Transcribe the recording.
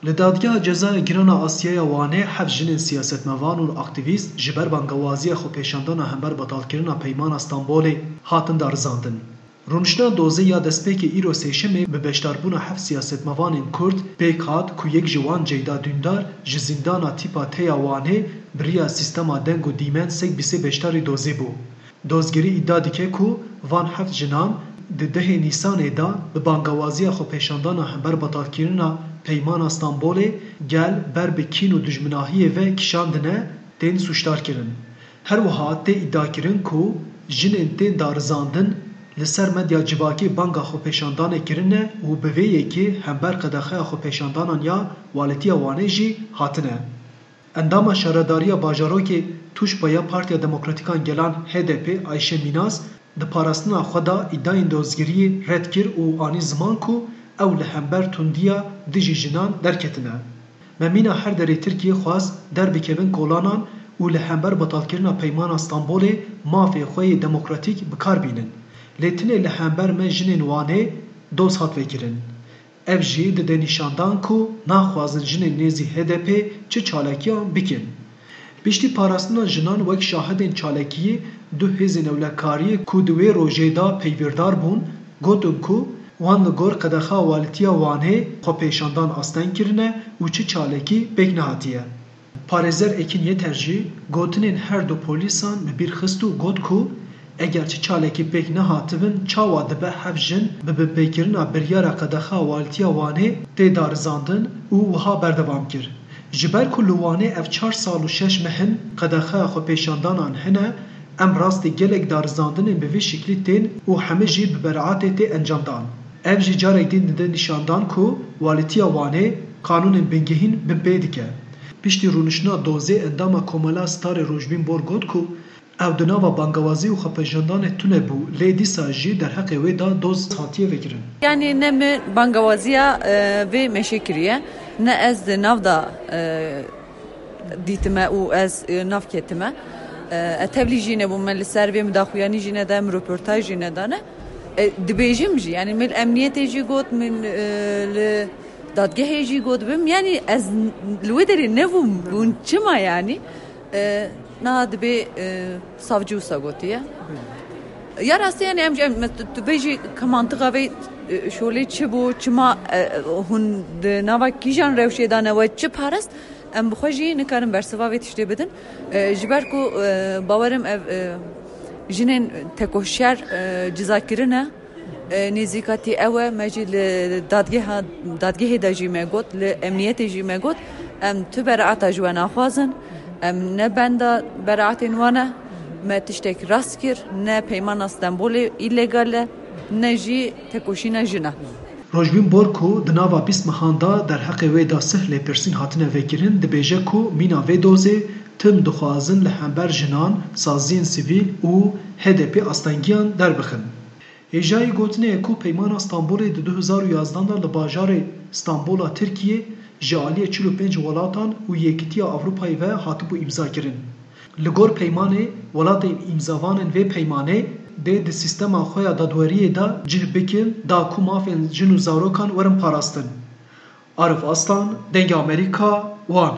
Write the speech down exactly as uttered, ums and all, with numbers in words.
Li Dadgeha Cezaya Giran a Asyaya Wanê heft jinên siyasetmevan û aktîvîst ji ber bangewaziya xwepêşandana hember betalkirina Peymana Stenbolê hatin darizandin. Rûniştina dozê ya destpêkê îro sêşemê bi beşdarbûna heft siyasetmevanên Kurd pêk hat ku yek ji wan Ceyda Dündar ji zîndana tîpa T ya Wanê bi riya sîstema deng û dîmen sek bîsê beşdarî dozê bû. Dozgerî îdia dike ku van heft jinan di dehê Nîsanê de bi bangewaziya xwepêşandana hember betalkirina Peymana Stenbolê gel ber bi kîn û dijminahiyê ve kişandine, tên sûcdar kirin. Her wiha tê îdiakirin ku jinên tên darizandin li ser medya civakî banga xwepêşandanê kirine û bi vê yekê hember qedexeya xwepêşandanan ya Walîtiya Wanê jî hatine. Endama Şaredariya Bajarokê Tûşba ya Partiya Demokratîkan Gelan H D P Ayşe Mînas di parastina xwe de îdiayên dozgeriyê red kir û anî ziman ku ew li hember tundiya dijî jinan derketine. Me mîna her derê Tirkiyê xwest derbikevin kolanan û li hember betalkirina Peymana Stenbolê mafê xwe yê demokratîk bi kar bînin. Lê tinê li hember me jinên Wanê doz hat vekirin. Ev jî dide nîşandan ku naxwazin jinên nêzî H D P çi çalakiyan bikin. Piştî parastina jinan wek şahidên çalakiyê du hêzên ewlekariyê ku di wê rojê de peywîrdar bûn, gotin ku wan li gor qedexa Walîtiya Wanê xwepêşandan asteng kirine û çi çalakî pêk nehatiye. Parêzer Ekîn Yeter jî gotinên her du polîsan bi bîr xist û got ku eger çi çalakî pêk nehatibin, çawa dibe heft jin bi binpêkirina biryara qedexa Walîtiya Wanê tê darizandin û wiha berdewam kir, Ji ber ku li Wanê ev çar sal û şeş meh in qedexeya xwepêşandanan hene, em rastî gelek darizandinên bi vî şiklî tên û hemî jî bi beraetê tê encamdan. Ev jî carek din dide nîşandan ku Walîtiya Wanê qanûnên bingehîn binpê dike. Piştî rûniştina dozê endama Komela Starê Rojbîn Bor got ku ew di nava bangewazî û xwepêşandanê tune bû, lê dîsa jî derheqê wê de doz hatiye vekirin. Yanî ne min bangewaziya, e, vê meşê kiriye, ne ez di nav de, e, dîtime û ez, e, nav ketime. E, ez tevlî jî nebûm, me li ser vê min daxuyanî jî neda, min roportaj jî nedane. E, dibêjim jî, yanî min emniyetê jî got, min, e, li dadgehê jî got bim. Yanî ez li wê derê nebûm, bûn çima yanî? E, niha dibê, e, savcî wisa gotiye. Ya rastî, yanî em, em, tu, tu bêjî ka mantiqa vê, e, şolê çi bû, çima, e, hûn di nava kîjan rewşê de ne, we çi parist, em bi xwe jî nikarin bersiva vê tiştê bidin. E, ji ber ku, e, bawerim ev, e, jinên tekoşer, e, ciza kirine. E, nêzîkatî ew e, me jî li dadgeha, dadgehê de jî me got, li emniyetê jî me got, em tu beraeta ji we naxwazin, em ne benda beraetên wan e, me tiştek rast kir, ne Peymana Stenbolê îlegal e, ne jî tekoşîna jin e. Rojbîn Bor ku di nava bîst mehan de derheqê wê de sih lêpirsîn hatine vekirin, dibêje ku mîna vê dozê tim dixwazin li hember jinan, saziyên sivîl û H D P astengiyan derbixin. Hêjayî gotinê ye ku Peymana Stenbolê di du hezar û yazdan de li bajarê Stenbola Tirkiyê ji aliyê çil û pênc welatan û Yekîtiya Ewropayê ve hatibû îmzakirin. Li gor peymanê, welatên îmzavanên vê peymanê dê di sîstema xwe ya dadweriyê de cih bikin da ku mafên jin û zarokan werin parastin. Arif Aslan, Dengê Amerîka, Wan.